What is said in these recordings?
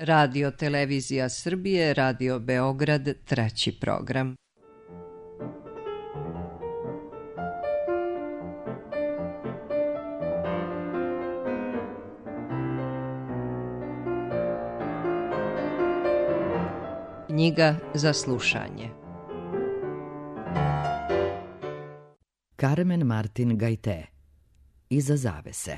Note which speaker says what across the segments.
Speaker 1: Radio Televizija Srbije, Radio Beograd, treći program. Knjiga za slušanje.
Speaker 2: Carmen Martin Gaité. Iza zavese.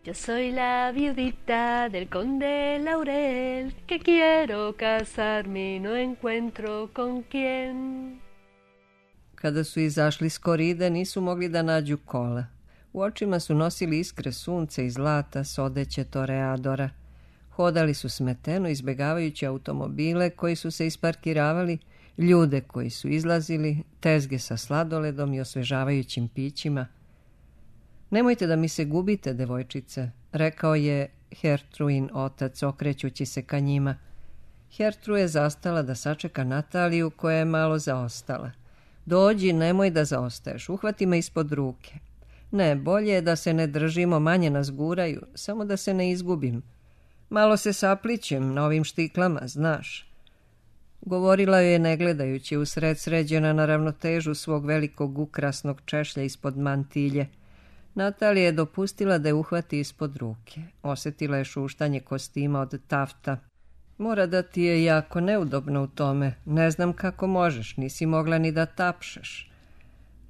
Speaker 3: Yo soy la viudita del conde Laurel, que quiero casarme y no encuentro con quién.
Speaker 1: Kada su izašli s koride, nisu mogli da nađu kola. U očima su nosili iskre sunce i zlata s odeće toreadora. Hodali su smeteno, izbjegavajući automobile koji su se isparkiravali, ljude koji su izlazili, tezge sa sladoledom i osvežavajućim pićima. Nemojte da mi se gubite, devojčice, rekao je Hertruin otac, okrećući se ka njima. Hertru je zastala da sačeka Nataliju, koja je malo zaostala. Dođi, nemoj da zaostaješ, uhvati me ispod ruke. Ne, bolje je da se ne držimo, manje nas guraju, samo da se ne izgubim. Malo se saplićem na ovim štiklama, znaš. Govorila joj je ne gledajući, usred sređena na ravnotežu svog velikog ukrasnog češlja ispod mantilje. Natalija je dopustila da je uhvati ispod ruke. Osjetila je šuštanje kostima od tafta. Mora da ti je jako neudobno u tome. Ne znam kako možeš, nisi mogla ni da tapšeš.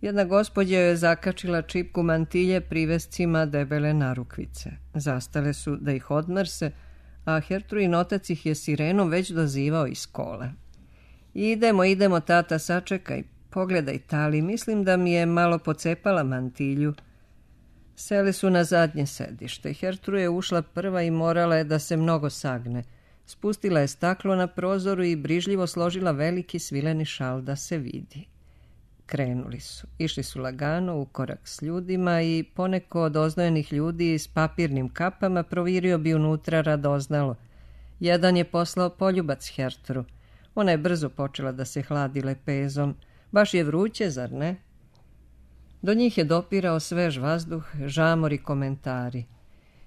Speaker 1: Jedna gospođa joj je zakačila čipku mantilje privescima debele narukvice. Zastale su da ih odmrse, a Hertruin otac ih je sirenom već dozivao iz kola. Idemo, tata, sačekaj. Pogledaj, Tali, mislim da mi je malo pocepala mantilju. Seli su na zadnje sedište. Hertru je ušla prva i morala je da se mnogo sagne. Spustila je staklo na prozoru i brižljivo složila veliki svileni šal da se vidi. Krenuli su. Išli su lagano u korak s ljudima i poneko od oznojenih ljudi s papirnim kapama provirio bi unutra radoznalo. Jedan je poslao poljubac Hertru. Ona je brzo počela da se hladi lepezom. Baš je vruće, zar ne? Do njih je dopirao svež vazduh, žamor i komentari.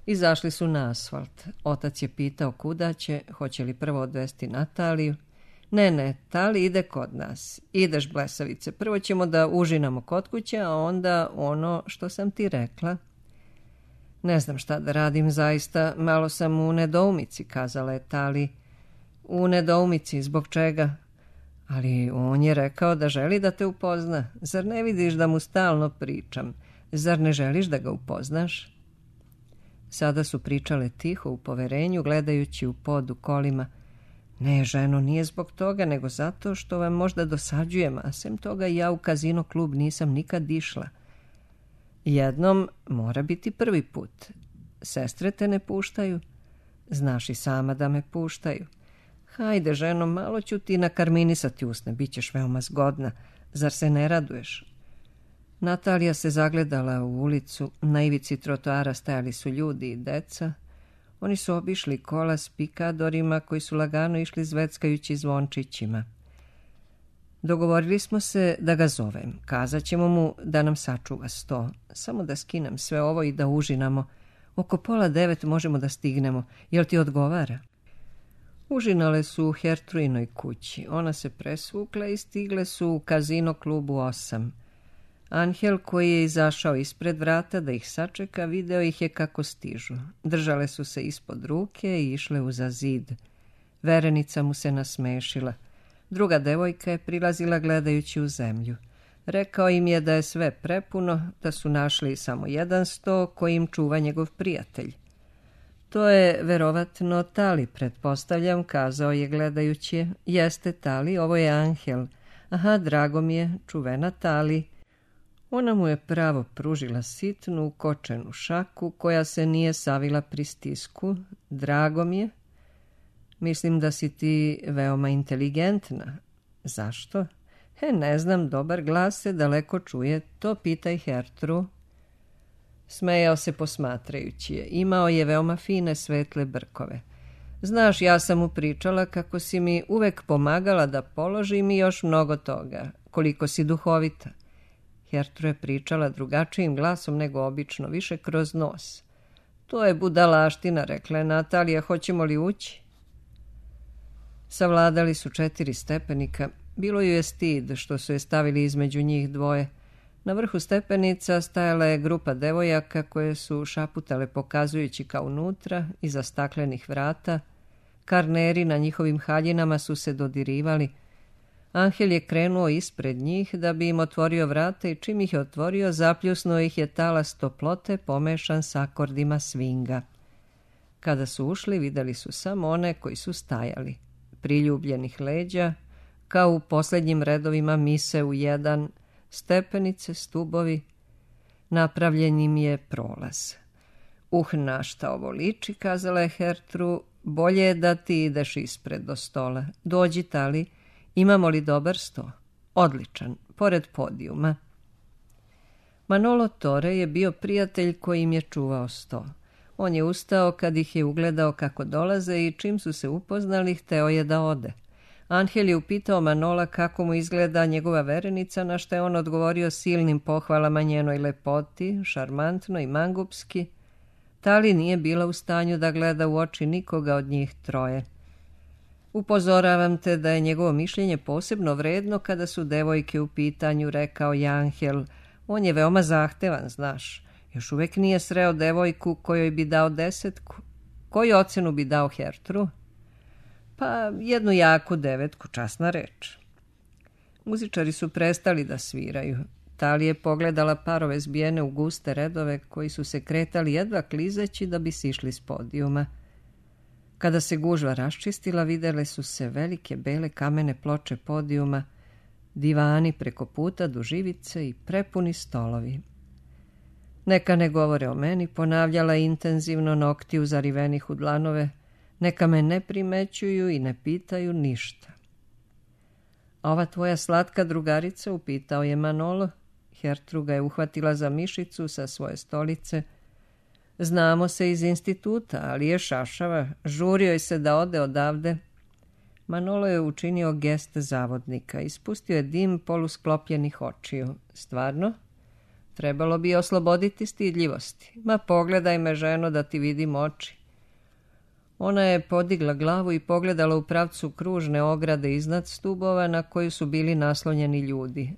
Speaker 1: Izašli su na asfalt. Otac je pitao kuda će, hoće li prvo odvesti Nataliju. Ne, Tali ide kod nas. Ideš, blesavice, prvo ćemo da užinamo kod kuće, a onda ono što sam ti rekla. Ne znam šta da radim zaista, malo sam u nedoumici, kazala je Tali. U nedoumici, zbog čega? Ali on je rekao da želi da te upozna. Zar ne vidiš da mu stalno pričam? Zar ne želiš da ga upoznaš? Sada su pričale tiho u poverenju, gledajući u pod u kolima. Ne, ženo, nije zbog toga, nego zato što vam možda dosađujem, a sem toga ja u kazino klub nisam nikad išla. Jednom mora biti prvi put. Sestre te ne puštaju? Znaš i sama da me puštaju. Hajde, ženo, malo ću ti nakarminisati usne, bit ćeš veoma zgodna. Zar se ne raduješ? Natalija se zagledala u ulicu. Na ivici trotoara stajali su ljudi i deca. Oni su obišli kola s pikadorima koji su lagano išli zveckajući zvončićima. Dogovorili smo se da ga zovem. Kazat ćemo mu da nam sačuva sto. Samo da skinem sve ovo i da užinamo. Oko 8:30 možemo da stignemo. Jel ti odgovara? Užinale su u Hertruinoj kući. Ona se presvukla i stigle su u kazino klubu 8. Anhel, koji je izašao ispred vrata da ih sačeka, video ih je kako stižu. Držale su se ispod ruke i išle uza zid. Verenica mu se nasmešila. Druga devojka je prilazila gledajući u zemlju. Rekao im je da je sve prepuno, da su našli samo jedan sto koji im čuva njegov prijatelj. To je verovatno Tali, pretpostavljam, kazao je gledajući je. Jeste Tali, ovo je Anhel. Aha, drago mi je, čuvena Tali. Ona mu je pravo pružila sitnu, kočenu šaku koja se nije savila pri stisku. Drago mi je. Mislim da si ti veoma inteligentna. Zašto? Ne znam, dobar glas se daleko čuje, to pitaj Hertru. Smejao se posmatrajući je. Imao je veoma fine svetle brkove. Znaš, ja sam mu pričala kako si mi uvek pomagala da položim i još mnogo toga. Koliko si duhovita. Hertru je pričala drugačijim glasom nego obično, više kroz nos. To je budalaština, rekla je Natalija, hoćemo li ući? Savladali su 4 stepenika. Bilo ju je stid što su je stavili između njih dvoje. Na vrhu stepenica stajala je grupa devojaka koje su šaputale pokazujući ka unutra, iza staklenih vrata. Karneri na njihovim haljinama su se dodirivali. Anhel je krenuo ispred njih da bi im otvorio vrata i čim ih je otvorio, zapljusnuo ih je talas toplote pomešan s akordima svinga. Kada su ušli, vidjeli su samo one koji su stajali, priljubljenih leđa, kao u posljednjim redovima mise u jedan, stepenice, stubovi, napravljen im je prolaz. Na šta ovo liči, kazala je Hertru, bolje je da ti ideš ispred do stola. Dođi, Tali, imamo li dobar sto? Odličan, pored podijuma. Manolo Tore je bio prijatelj koji im je čuvao sto. On je ustao kad ih je ugledao kako dolaze i čim su se upoznali, hteo je da ode. Anhel je upitao Manola kako mu izgleda njegova verenica, na što je on odgovorio silnim pohvalama njenoj lepoti, šarmantno i mangupski. Tali nije bila u stanju da gleda u oči nikoga od njih troje. Upozoravam te da je njegovo mišljenje posebno vredno kada su devojke u pitanju, rekao je Anhel. On je veoma zahtevan, znaš. Još uvijek nije sreo devojku kojoj bi dao 10. Koju ocenu bi dao Hertru? Pa 1 jaku 9, časna reč. Muzičari su prestali da sviraju. Tali je pogledala parove zbijene u guste redove koji su se kretali jedva klizeći da bi sišli s podijuma. Kada se gužva raščistila, vidjele su se velike bele kamene ploče podijuma, divani preko puta duž ivice i prepuni stolovi. Neka ne govore o meni, ponavljala intenzivno, nokti uzarivenih u dlanove, neka me ne primećuju i ne pitaju ništa. A ova tvoja slatka drugarica, upitao je Manolo. Hertru ga je uhvatila za mišicu sa svoje stolice. Znamo se iz instituta, ali je šašava, žurio je se da ode odavde. Manolo je učinio gest zavodnika, ispustio je dim polusklopljenih očiju. Stvarno? Trebalo bi osloboditi stidljivosti. Ma pogledaj me, ženo, da ti vidim oči. Ona je podigla glavu i pogledala u pravcu kružne ograde iznad stubova na koju su bili naslonjeni ljudi.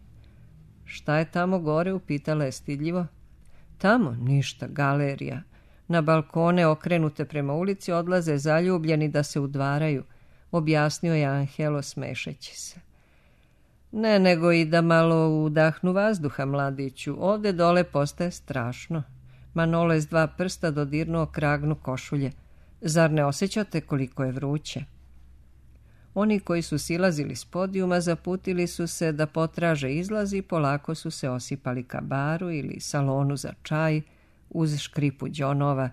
Speaker 1: Šta je tamo gore, upitala je stidljivo. Tamo ništa, galerija. Na balkone okrenute prema ulici odlaze zaljubljeni da se udvaraju, objasnio je Anhelo smešeći se. Ne, nego i da malo udahnu vazduha, mladiću. Ovde dole postaje strašno. Manolo je s 2 prsta dodirnuo kragnu košulje. Zar ne osjećate koliko je vruće? Oni koji su silazili s podijuma zaputili su se da potraže izlaz i polako su se osipali ka baru ili salonu za čaj uz škripu đonova.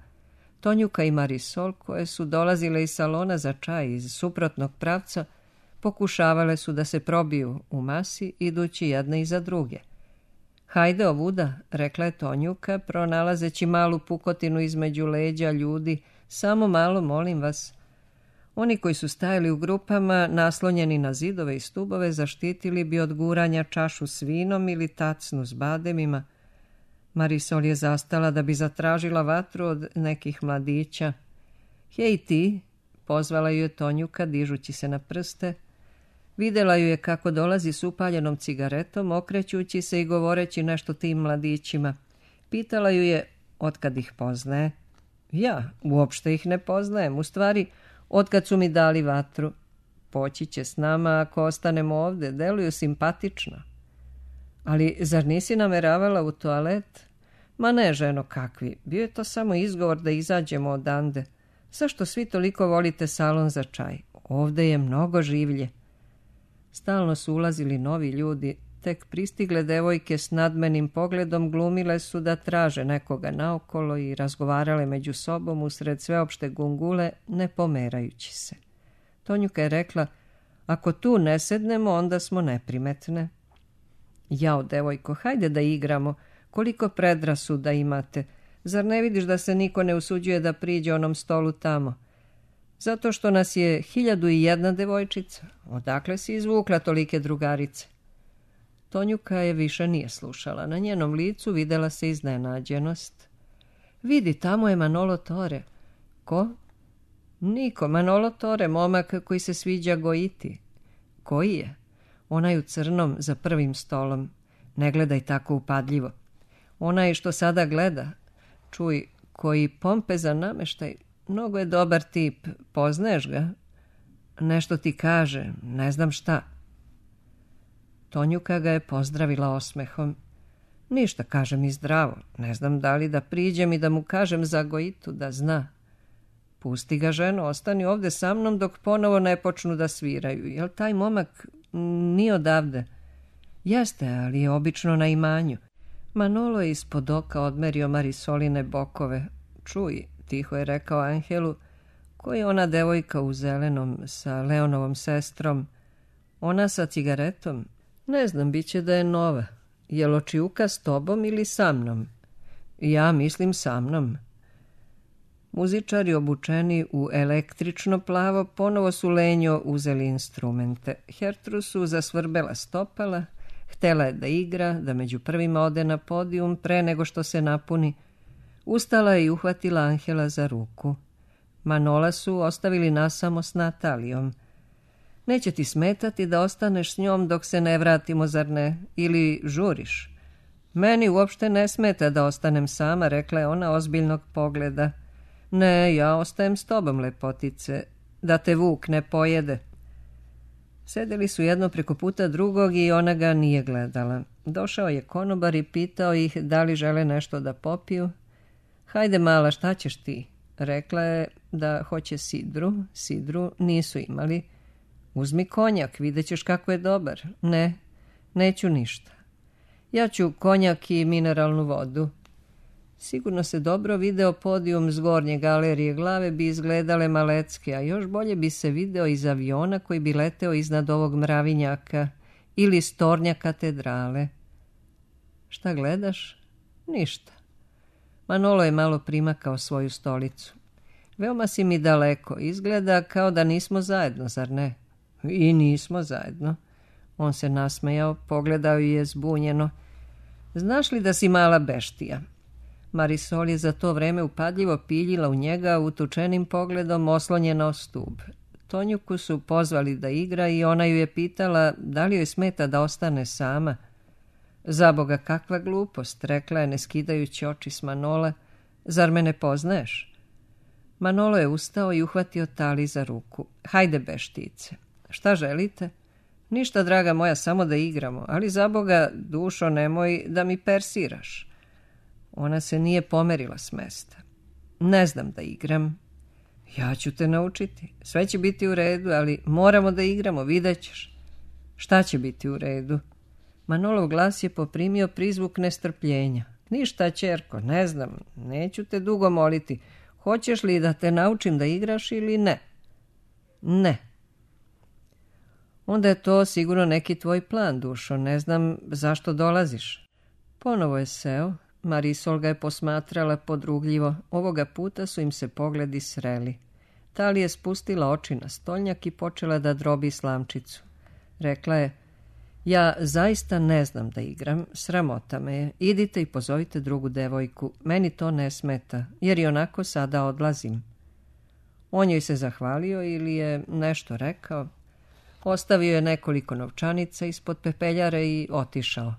Speaker 1: Tonjuka i Marisol, koje su dolazile iz salona za čaj iz suprotnog pravca, pokušavale su da se probiju u masi, idući jedne iza druge. Hajde ovuda, rekla je Tonjuka, pronalazeći malu pukotinu između leđa ljudi. Samo malo, molim vas. Oni koji su stajali u grupama, naslonjeni na zidove i stubove, zaštitili bi od guranja čašu s vinom ili tacnu s bademima. Marisol je zastala da bi zatražila vatru od nekih mladića. Hej ti, pozvala ju je Tonjuka dižući se na prste. Vidjela ju je kako dolazi s upaljenom cigaretom, okrećući se i govoreći nešto tim mladićima. Pitala ju je otkad ih poznaje. Ja, uopšte ih ne poznajem, u stvari, otkad su mi dali vatru. Poći će s nama ako ostanemo ovde, deluju simpatično. Ali zar nisi nameravala u toalet? Ma ne, ženo, kakvi, bio je to samo izgovor da izađemo odande. Zašto svi toliko volite salon za čaj? Ovde je mnogo življe. Stalno su ulazili novi ljudi, tek pristigle devojke s nadmenim pogledom glumile su da traže nekoga naokolo i razgovarale među sobom usred sveopšte gungule, ne pomerajući se. Tonjuka je rekla, ako tu ne sednemo, onda smo neprimetne. Jao, devojko, hajde da igramo, koliko predrasuda imate. Zar ne vidiš da se niko ne usuđuje da priđe onom stolu tamo? Zato što nas je 1001 devojčica. Odakle si izvukla tolike drugarice? Tonjuka je više nije slušala. Na njenom licu videla se iznenađenost. Vidi, tamo je Manolo Tore. Ko? Niko, Manolo Tore, momak koji se sviđa Gojiti. Koji je? Onaj u crnom za prvim stolom. Ne gledaj tako upadljivo. Onaj što sada gleda. Čuj, koji pompezan nameštaj. Mnogo je dobar tip. Poznaješ ga? Nešto ti kaže, ne znam šta. Tonjuka ga je pozdravila osmehom. Ništa, kaže mi zdravo. Ne znam da li da priđem i da mu kažem za Gojitu da zna. Pusti ga, ženo, ostani ovde sa mnom dok ponovo ne počnu da sviraju. Jel taj momak nije odavde? Jeste, ali je obično na imanju. Manolo je ispod oka odmerio Marisoline bokove. Čuj, tiho je rekao Angelu, ko je ona devojka u zelenom sa Leonovom sestrom? Ona sa cigaretom? Ne znam, bit će da je nova. Je li očijuka s tobom ili sa mnom? Ja mislim sa mnom. Muzičari obučeni u električno plavo ponovo su lenjo uzeli instrumente. Hertru su zasvrbela stopala, htela je da igra, da među prvima ode na podijum pre nego što se napuni. Ustala je i uhvatila Angela za ruku. Manola su ostavili nasamo s Natalijom. Neće ti smetati da ostaneš s njom dok se ne vratimo, zar ne? Ili žuriš? Meni uopšte ne smeta da ostanem sama, rekla je ona ozbiljnog pogleda. Ne, ja ostajem s tobom, lepotice, da te vuk ne pojede. Sedeli su jedno preko puta drugog i ona ga nije gledala. Došao je konobar i pitao ih da li žele nešto da popiju. Hajde mala, šta ćeš ti? Rekla je da hoće sidru. Sidru nisu imali. Uzmi konjak, vidjet ćeš kako je dobar. Ne, neću ništa. Ja ću konjak i mineralnu vodu. Sigurno se dobro video podijum s gornje galerije, glave bi izgledale malecke, a još bolje bi se video iz aviona koji bi leteo iznad ovog mravinjaka ili s tornja katedrale. Šta gledaš? Ništa. Manolo je malo primakao svoju stolicu. Veoma si mi daleko, izgleda kao da nismo zajedno, zar ne? I nismo zajedno. On se nasmejao, pogledao je zbunjeno. Znaš li da si mala beštija? Marisol je za to vreme upadljivo piljila u njega utučenim pogledom oslonjena o stub. Tonjuku su pozvali da igra i ona ju je pitala da li joj smeta da ostane sama. Zaboga, kakva glupost, rekla je ne skidajući oči s Manola. Zar me ne poznaješ? Manolo je ustao i uhvatio Tali za ruku. Hajde, beštice. Šta želite? Ništa, draga moja, samo da igramo, ali zaboga, dušo, nemoj da mi persiraš. Ona se nije pomerila s mesta. Ne znam da igram. Ja ću te naučiti. Sve će biti u redu, ali moramo da igramo, vidjet ćeš. Šta će biti u redu? Manolov glas je poprimio prizvuk nestrpljenja. Ništa, ćerko, ne znam, neću te dugo moliti. Hoćeš li da te naučim da igraš ili ne? Ne. Onda je to sigurno neki tvoj plan, dušo, ne znam zašto dolaziš. Ponovo je seo. Marisol ga je posmatrala podrugljivo. Ovoga puta su im se pogledi sreli. Tali je spustila oči na stolnjak i počela da drobi slamčicu. Rekla je, ja zaista ne znam da igram, sramota me je. Idite i pozovite drugu devojku, meni to ne smeta, jer i onako sada odlazim. On joj se zahvalio ili je nešto rekao. Ostavio je nekoliko novčanica ispod pepeljare i otišao.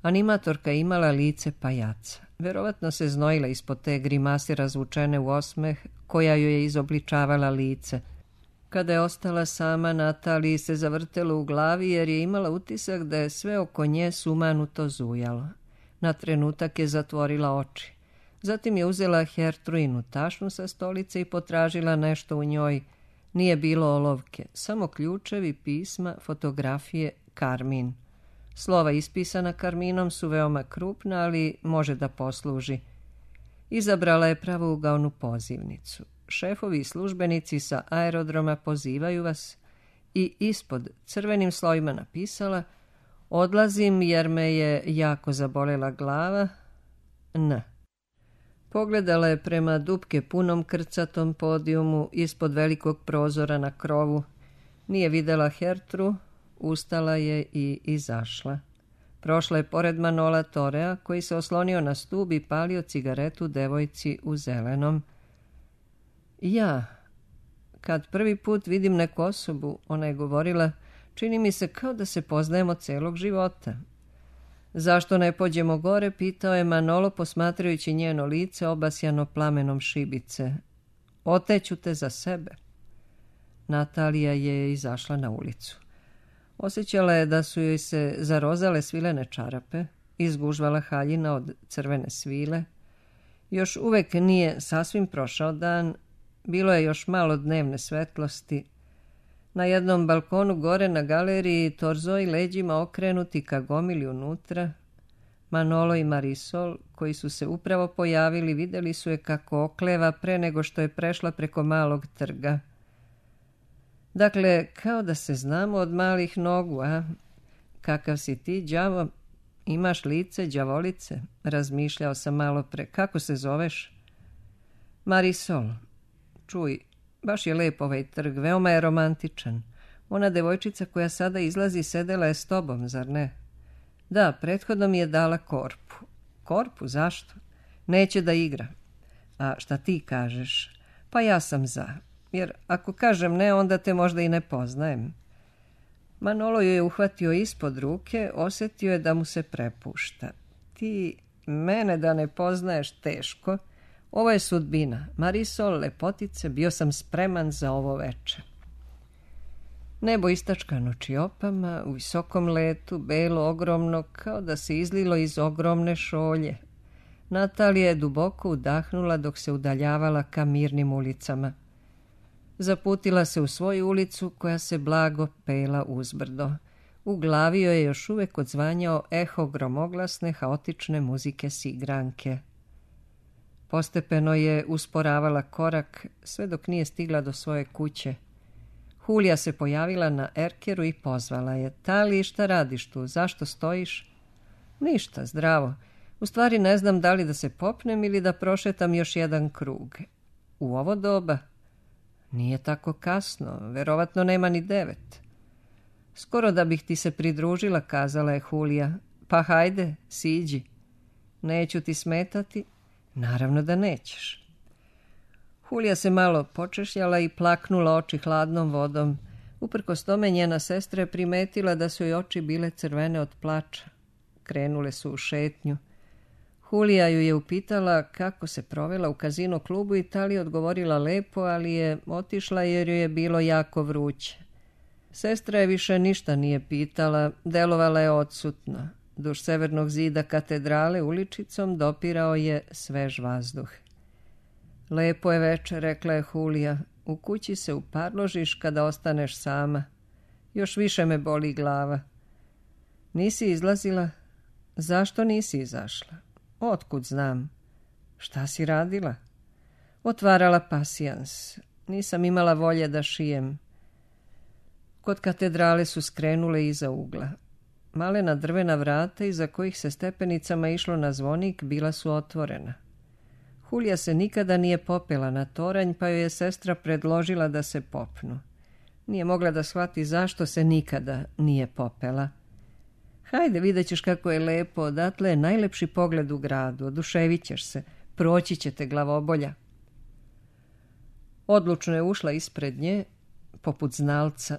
Speaker 1: Animatorka je imala lice pajaca. Verovatno se znojila ispod te grimase razvučene u osmeh koja joj je izobličavala lice. Kada je ostala sama, Nataliji se zavrtelo u glavi jer je imala utisak da je sve oko nje sumanuto zujalo. Na trenutak je zatvorila oči. Zatim je uzela Hertruinu tašnu sa stolice i potražila nešto u njoj. Nije bilo olovke, samo ključevi, pisma, fotografije, karmin. Slova ispisana karminom su veoma krupna, ali može da posluži. Izabrala je pravougaonu pozivnicu. Šefovi i službenici sa aerodroma pozivaju vas i ispod crvenim slovima napisala odlazim jer me je jako zabolela glava. N. Pogledala je prema dupke punom krcatom podijumu ispod velikog prozora na krovu. Nije videla Hertru, ustala je i izašla. Prošla je pored Manola Torea koji se oslonio na stub i palio cigaretu devojci u zelenom. Ja, Kad prvi put vidim neku osobu, ona je govorila, čini mi se kao da se poznajemo celog života. Zašto ne pođemo gore, pitao je Manolo posmatrajući njeno lice obasjano plamenom šibice. Oteću te za sebe. Natalija je izašla na ulicu. Osjećala je da su joj se zarozale svilene čarape, izgužvala haljina od crvene svile. Još uvek nije sasvim prošao dan, bilo je još malo dnevne svetlosti. Na jednom balkonu gore na galeriji Torzoi leđima okrenuti ka gomili unutra. Manolo i Marisol, koji su se upravo pojavili, vidjeli su je kako okleva pre nego što je prešla preko malog trga. Dakle, kao da se znamo od malih nogu, a? Kakav si ti, đavo? Imaš lice đavolice? Razmišljao sam malo pre. Kako se zoveš? Marisol. Čuj, baš je lep ovaj trg, veoma je romantičan. Ona devojčica koja sada izlazi sedela je s tobom, zar ne? Da, prethodno mi je dala korpu. Korpu? Zašto? Neće da igra. A šta ti kažeš? Pa ja sam za. Jer ako kažem ne, onda te možda i ne poznajem. Manolo ju je uhvatio ispod ruke, osjetio je da mu se prepušta. Ti mene da ne poznaješ teško. Ovo je sudbina. Marisol, lepotice, bio sam spreman za ovo veče. Nebo istačkano čiopama, u visokom letu, belo, ogromno, kao da se izlilo iz ogromne šolje. Natalija je duboko udahnula dok se udaljavala ka mirnim ulicama. Zaputila se u svoju ulicu koja se blago pela uzbrdo. U glavi joj je još uvek odzvanjao eho gromoglasne, haotične muzike sigranke. Postepeno je usporavala korak sve dok nije stigla do svoje kuće. Hulija se pojavila na erkeru i pozvala je. Tali, šta radiš tu? Zašto stojiš? Ništa, zdravo. U stvari ne znam da li da se popnem ili da prošetam još jedan krug. U ovo doba? Nije tako kasno, verovatno nema ni 9. Skoro da bih ti se pridružila, kazala je Hulija. Pa hajde, siđi. Neću ti smetati? Naravno da nećeš. Hulija se malo počešljala i plaknula oči hladnom vodom. Uprkos tome njena sestra je primetila da su joj oči bile crvene od plača. Krenule su u šetnju. Hulija ju je upitala kako se provela u kazino klubu i Tali odgovorila lepo, ali je otišla jer joj je bilo jako vruće. Sestra je više ništa nije pitala, delovala je odsutno. Duž severnog zida katedrale uličicom dopirao je svež vazduh. Lepo je večer, rekla je Hulija. U kući se uparložiš kada ostaneš sama. Još više me boli glava. Nisi izlazila? Zašto nisi izašla? Otkud znam? Šta si radila? Otvarala pasijans. Nisam imala volje da šijem. Kod katedrale su skrenule iza ugla. Malena drvena vrata iza kojih se stepenicama išlo na zvonik bila su otvorena. Hulija se nikada nije popela na toranj, pa joj je sestra predložila da se popnu. Nije mogla da shvati zašto se nikada nije popela. Hajde, vidjet ćeš kako je lepo, odatle je najlepši pogled u gradu, oduševit ćeš se, proći će te glavobolja. Odlučno je ušla ispred nje, poput znalca.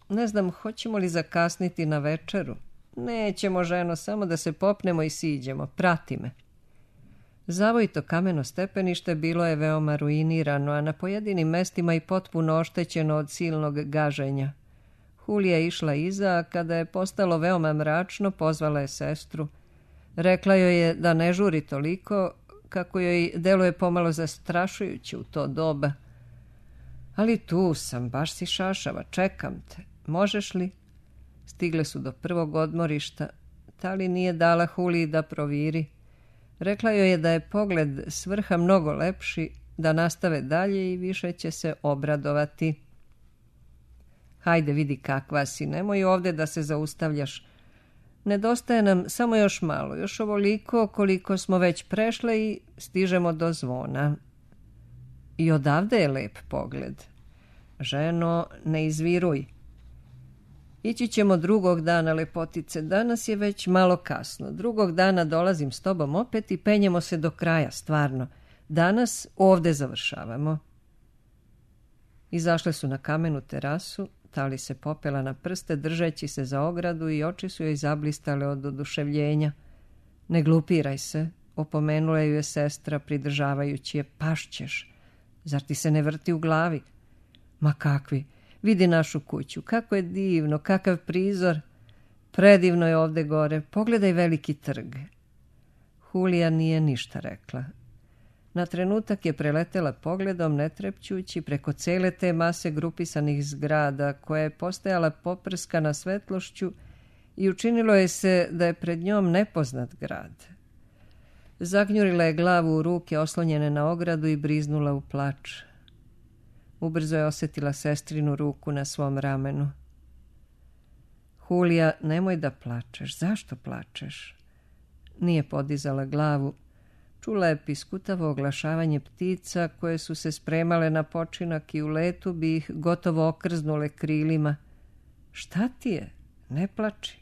Speaker 1: Ne znam, hoćemo li zakasniti na večeru? Nećemo, ženo, samo da se popnemo i siđemo, prati me. Zavojito kameno stepenište bilo je veoma ruinirano, a na pojedinim mestima i potpuno oštećeno od silnog gaženja. Hulija je išla iza, a kada je postalo veoma mračno, pozvala je sestru. Rekla joj je da ne žuri toliko, kako joj deluje pomalo zastrašujuće u to doba. Ali tu sam, baš si šašava, čekam te. Možeš li? Stigle su do prvog odmorišta. Tali nije dala Huliji da proviri. Rekla joj je da je pogled s vrha mnogo lepši, da nastave dalje i više će se obradovati. Hajde, vidi kakva si, nemoj ovde da se zaustavljaš. Nedostaje nam samo još malo, još ovoliko koliko smo već prešle i stižemo do zvona. I odavde je lep pogled. Ženo, ne izviruj. Ići ćemo drugog dana, lepotice, danas je već malo kasno. Drugog dana dolazim s tobom opet i penjemo se do kraja, stvarno. Danas ovde završavamo. Izašle su na kamenu terasu, Tali se popela na prste držeći se za ogradu i oči su joj zablistale od oduševljenja. Ne glupiraj se, opomenula ju je sestra pridržavajući je, pašćeš. Zar ti se ne vrti u glavi? Ma kakvi, vidi našu kuću, kako je divno, kakav prizor. Predivno je ovde gore, pogledaj veliki trg. Julija nije ništa rekla. Na trenutak je preletela pogledom, ne trepćući, preko cele te mase grupisanih zgrada, koja je postajala poprskana svetlošću i učinilo je se da je pred njom nepoznat grad. Zagnjurila je glavu u ruke oslonjene na ogradu i briznula u plač. Ubrzo je osjetila sestrinu ruku na svom ramenu. Julija, nemoj da plačeš. Zašto plačeš? Nije podizala glavu. Čula je piskutavo oglašavanje ptica koje su se spremale na počinak i u letu bi ih gotovo okrznule krilima. Šta ti je? Ne plači.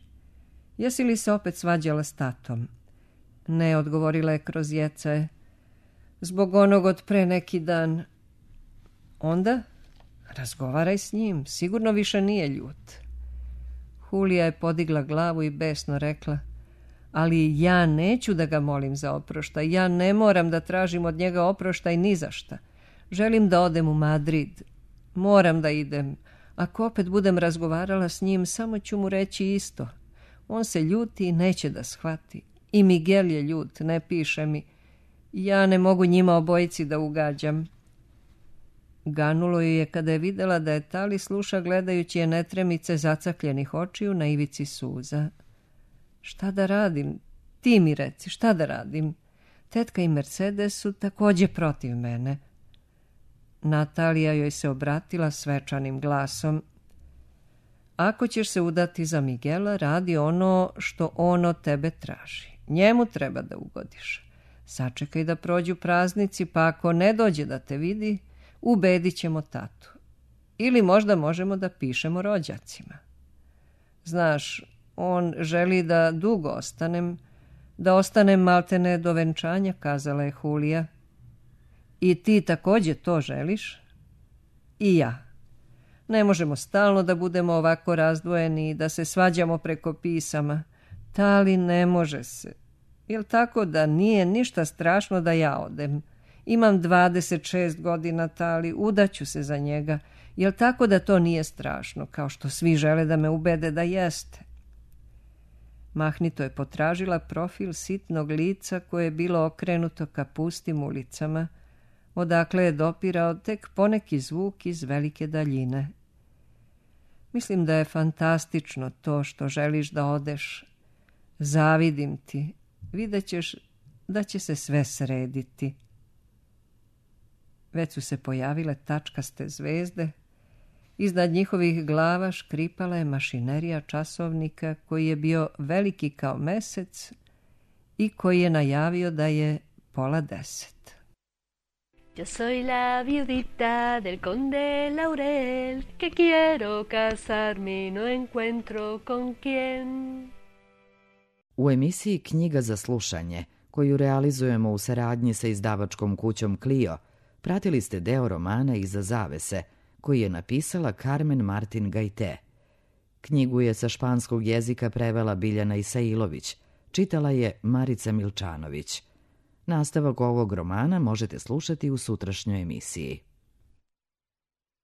Speaker 1: Jesi li se opet svađala s tatom? Ne, odgovorila je kroz jecaje. Zbog onog od pre neki dan. Onda razgovaraj s njim, sigurno više nije ljut. Julija je podigla glavu i besno rekla, ali ja neću da ga molim za oproštaj, ja ne moram da tražim od njega oproštaj ni za šta. Želim da odem u Madrid. Moram da idem. Ako opet budem razgovarala s njim, samo ću mu reći isto. On se ljuti i neće da shvati. I Miguel je ljut, ne piše mi. Ja ne mogu njima obojici da ugađam. Ganulo ju je kada je videla da je Tali sluša gledajući je netremice zacakljenih očiju na ivici suza. Šta da radim? Ti mi reci, šta da radim? Tetka i Mercedes su također protiv mene. Natalija joj se obratila svečanim glasom. Ako ćeš se udati za Miguela, radi ono što on od tebe traži. Njemu treba da ugodiš. Sačekaj da prođu praznici, pa ako ne dođe da te vidi, ubedit ćemo tatu. Ili možda možemo da pišemo rođacima. Znaš, on želi da dugo ostanem, da ostanem maltene do venčanja, kazala je Julija. I ti također to želiš? I ja. Ne možemo stalno da budemo ovako razdvojeni i da se svađamo preko pisama. Tali, ne može se. Jel tako da nije ništa strašno da ja odem? Imam 26 godina, Tali, udaću se za njega. Jel tako da to nije strašno, kao što svi žele da me ubede da jeste? Mahnito je potražila profil sitnog lica koje je bilo okrenuto ka pustim ulicama, odakle je dopirao tek poneki zvuk iz velike daljine. Mislim da je fantastično to što želiš da odeš. Zavidim ti. Vidjet ćeš da će se sve srediti. Već su se pojavile tačkaste zvezde. Iznad njihovih glava škripala je mašinerija časovnika koji je bio veliki kao mesec i koji je najavio da je 9:30.
Speaker 3: Yo soy la viudita del conde Laurel, que quiero casarme y no encuentro con quién.
Speaker 2: U emisiji Knjiga za slušanje, koju realizujemo u saradnji sa izdavačkom kućom Clio, pratili ste deo romana Iza zavese, koji je napisala Carmen Martin Gajte. Knjigu je sa španskog jezika prevela Biljana Isailović, čitala je Marica Milčanović. Nastavak ovog romana možete slušati u sutrašnjoj emisiji.